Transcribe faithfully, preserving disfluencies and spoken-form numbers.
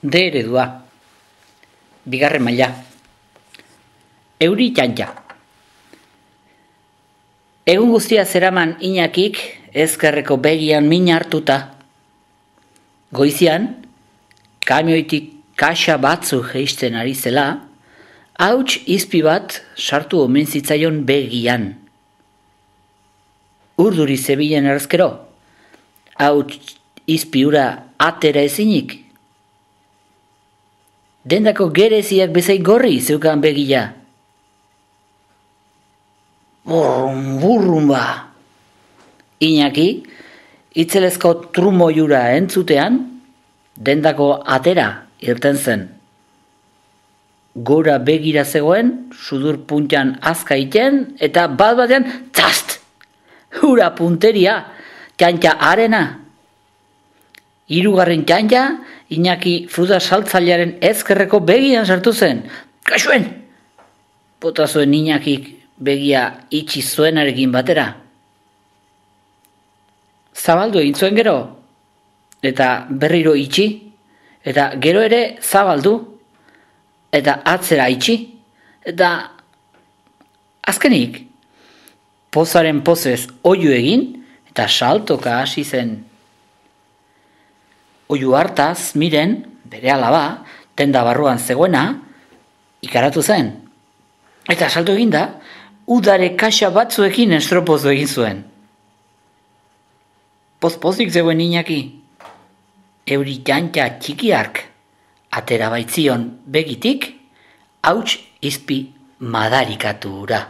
D eredua. Bigarren maila. Euri txantxa. Egun guztia zeraman Iñakik ezkerreko begian min hartuta. Goizian, kamioitik kaxa batzu jeisten ari zela, hauts izpi bat sartu omen zitzaion begian. Urduri zebilen erazkero, hauts izpi ura atera ezinik. Dendako gereziak bezain gorri zeukan begia. Burrum, burrum ba. Iñaki, itzelezko trumo jura entzutean, dendako atera irten zen. Gora begira zegoen, sudur puntan azka iten, eta bat batean, tzast! Hura punteria, txantxa arena. Hirugarren txantxa, Iñaki fruta saltzailearen ezkerreko begian sartu zen. Kaixuen! Bota zuen Iñakik begia itxi zuenarekin batera. Zabaldu egin zuen gero, eta berriro itxi, eta gero ere zabaldu, eta atzera itxi, eta azkenik, pozaren pozez oiu egin, eta saltoka hasi zen. Oiu hartaz, miren, bere alaba, tenda barruan zegoena, ikaratu zen. Eta salto eginda, udare kaxa batzuekin estropozu egin zuen. Poz-pozik zegoen Iñaki. Euri txantxa txikiark, atera baitzion begitik, hauts izpi madarikatu ura.